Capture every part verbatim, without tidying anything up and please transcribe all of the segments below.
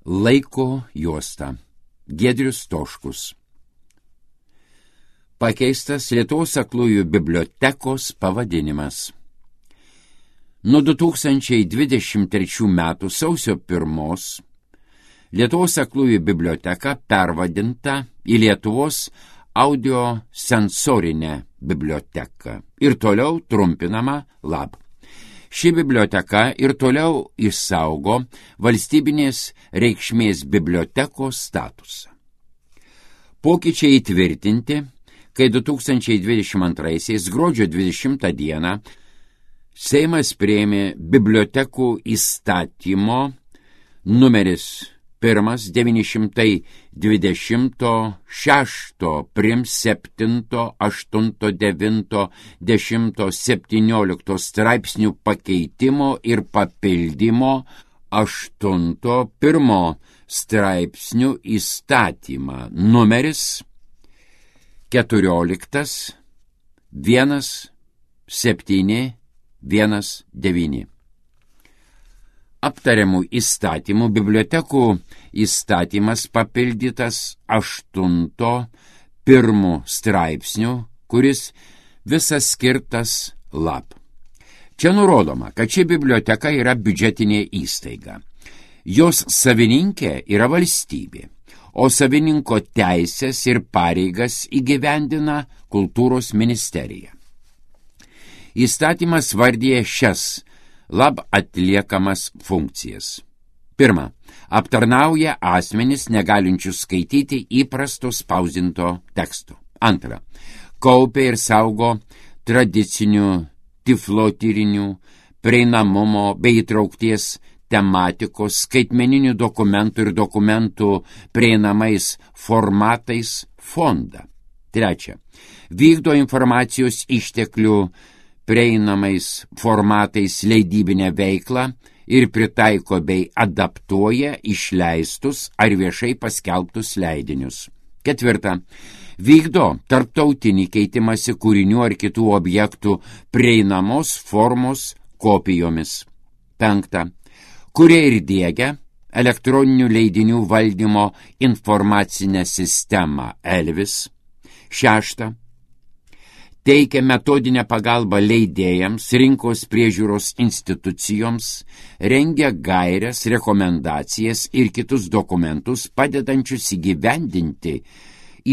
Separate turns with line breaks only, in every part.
Laiko juosta. Giedrius Stoškus. Pakeistas Lietuvos aklųjų bibliotekos pavadinimas. Nuo du tūkstančiai dvidešimt trečių metų sausio pirmos Lietuvos aklųjų biblioteka pervadinta į Lietuvos audiosensorinę biblioteką ir toliau trumpinama LAB. Ši biblioteka ir toliau išsaugo valstybinės reikšmės bibliotekos statusą. Pokyčiai įtvirtinti, kai du tūkstančiai dvidešimt antraisiais gruodžio dvidešimtą dieną Seimas priėmė bibliotekų įstatymo numeris pirmas devyni šimtai dvidešimt šešto prim septinto aštunto devinto dešimto septyniolikto straipsnių pakeitimo ir papildymo aštunto pirmo straipsnių įstatymą numeris keturioliktas vienas septyni vienas devyni. Aptariamų įstatymų bibliotekų įstatymas papildytas aštunto pirmų straipsnių, kuris visas skirtas LAB. Čia nurodoma, kad ši biblioteka yra biudžetinė įstaiga. Jos savininkė yra valstybė, o savininko teisės ir pareigas įgyvendina Kultūros ministerija. Įstatymas vardyja šias LAB atliekamas funkcijas. Pirma, aptarnauja asmenis negalinčius skaityti įprasto spausdinto teksto. Antra, kaupia ir saugo tradicinių tiflotyrinių, prieinamumo bei įtraukties tematikos, skaitmeninių dokumentų ir dokumentų prieinamais formatais fondą. Trečia, vykdo informacijos išteklių prieinamais formatais leidybinę veiklą ir pritaiko bei adaptuoja išleistus ar viešai paskelbtus leidinius. Ketvirta, vykdo tarptautinį keitimąsi kūrinių ar kitų objektų prieinamos formos kopijomis. Penkta, kuria ir diegia elektroninių leidinių valdymo informacinę sistemą ELVIS. Šešta, teikia metodinę pagalbą leidėjams, rinkos priežiūros institucijoms, rengia gairias, rekomendacijas ir kitus dokumentus, padedančius įgyvendinti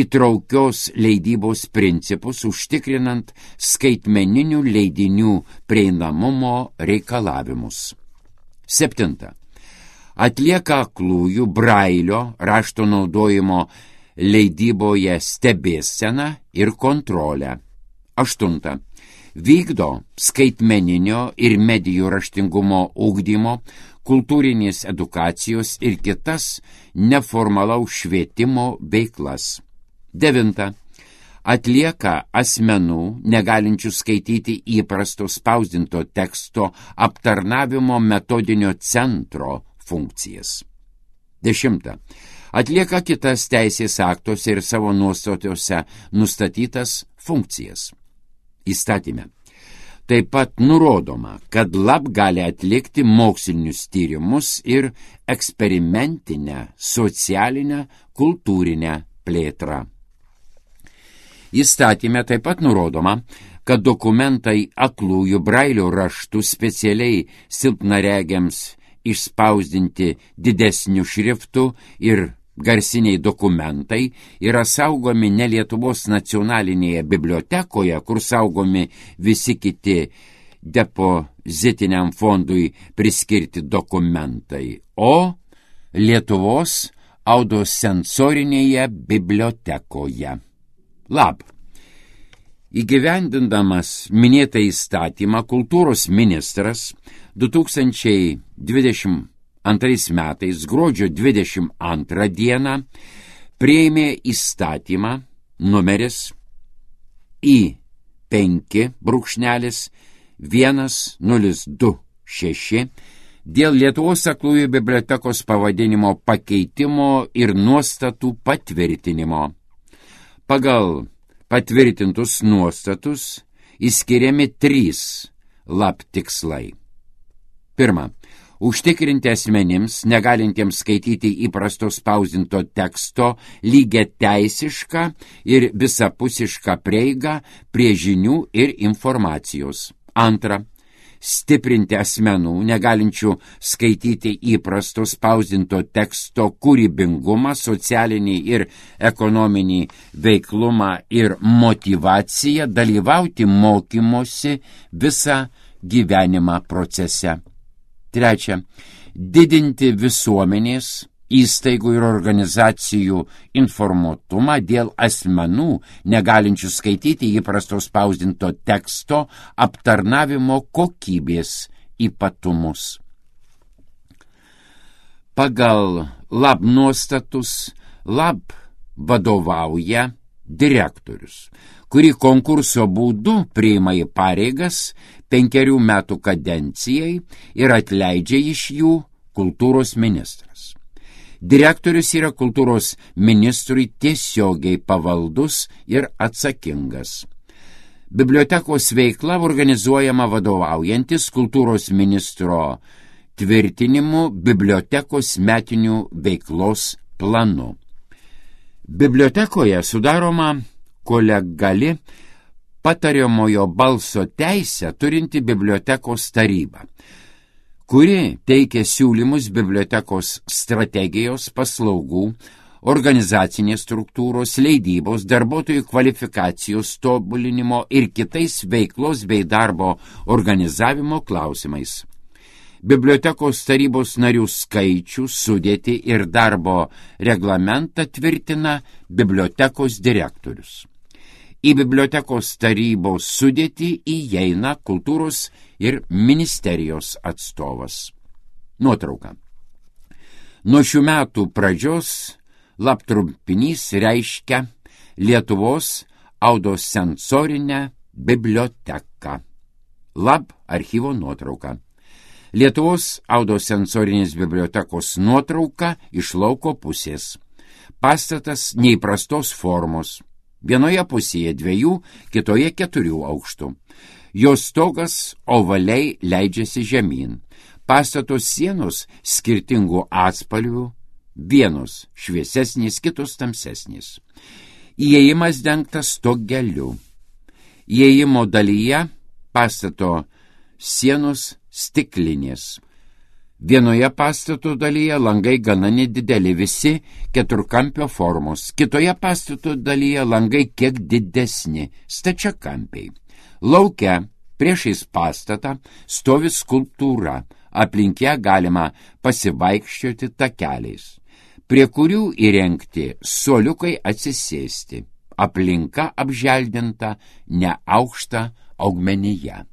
įtraukios leidybos principus, užtikrinant skaitmeninių leidinių prieinamumo reikalavimus. Septinta. Atlieka aklųjų brailio rašto naudojimo leidyboje stebėseną ir kontrolę. Aštunta. Vykdo skaitmeninio ir medijų raštingumo ugdymo, kultūrinės edukacijos ir kitas neformalaus švietimo veiklas. Devinta. Atlieka asmenų, negalinčių skaityti įprasto spausdinto teksto aptarnavimo metodinio centro funkcijas. Dešimta. Atlieka kitas teisės aktuose ir savo nuostatuose nustatytas funkcijas. Įstatyme. Taip pat nurodoma, kad LAB gali atlikti mokslinius tyrimus ir eksperimentinę, socialinę, kultūrinę plėtrą. Įstatyme taip pat nurodoma, kad dokumentai aklųjų brailio raštų specialiai silpnaregiams išspausdinti didesnių šriftų ir garsiniai dokumentai yra saugomi ne Lietuvos nacionalinėje bibliotekoje, kur saugomi visi kiti depozitiniam fondui priskirti dokumentai, o Lietuvos audiosensorinėje bibliotekoje. LAB. Įgyvendindamas minėtą įstatymą, kultūros ministras du tūkstančiai dvidešimt antrais metais gruodžio dvidešimt antrą dieną priėmė įstatymą numeris I penki brūkšnelis vienas nulis du šeši dėl Lietuvos aklųjų bibliotekos pavadinimo pakeitimo ir nuostatų patvirtinimo. Pagal patvirtintus nuostatus įskiriami trys LAB tikslai. Pirma, užtikrinti asmenims, negalintiems skaityti įprasto spausdinto teksto, lygia teisišką ir visapusišką prieigą prie žinių ir informacijos. Antra, stiprinti asmenų, negalinčių skaityti įprasto spausdinto teksto kūrybingumą, socialinį ir ekonominį veiklumą ir motyvaciją dalyvauti mokymosi visą gyvenimą procese. Trečia, didinti visuomenės, įstaigų ir organizacijų informuotumą dėl asmenų, negalinčių skaityti įprasto spausdinto teksto aptarnavimo kokybės ypatumus. Pagal lab nuostatus lab vadovauja direktorius, kurį konkurso būdu priima į pareigas penkerių metų kadencijai ir atleidžia iš jų kultūros ministras. Direktorius yra kultūros ministrui tiesiogiai pavaldus ir atsakingas. Bibliotekos veikla organizuojama vadovaujantis kultūros ministro tvirtinimu bibliotekos metinių veiklos planu. Bibliotekoje sudaroma kolegiali patariamojo balso teisę turinti bibliotekos taryba, kuri teikia siūlymus bibliotekos strategijos, paslaugų, organizacinės struktūros, leidybos, darbuotojų kvalifikacijos tobulinimo ir kitais veiklos bei darbo organizavimo klausimais. Bibliotekos tarybos narių skaičių, sudėtį ir darbo reglamentą tvirtina bibliotekos direktorius. Į bibliotekos tarybos sudėtį įeina kultūros ir ministerijos atstovas. Nuotrauka. Nuo šių metų pradžios lab trumpinys reiškia Lietuvos audiosensorinę biblioteką. Lab archyvo nuotrauka. Lietuvos audiosensorinės bibliotekos nuotrauka iš lauko pusės. Pastatas neįprastos formos. Vienoje pusėje dviejų, kitoje keturių aukštų. Jos stogas ovaliai leidžiasi žemyn. Pastato sienos skirtingų atspalvių, vienos šviesesnės, kitos tamsesnės. Įėjimas dengtas stogeliu. Įėjimo dalyje pastato sienos stiklinės. Vienoje pastato dalyje langai gana nedideli, visi keturkampio formos. Kitoje pastato dalyje langai kiek didesni, stačiakampiai. Lauke priešais pastatą stovi skulptūra, aplink ją galima pasivaikščioti takeliais, prie kurių įrengti suoliukai atsisėsti. Aplinka apželdinta neaukšta augmenija.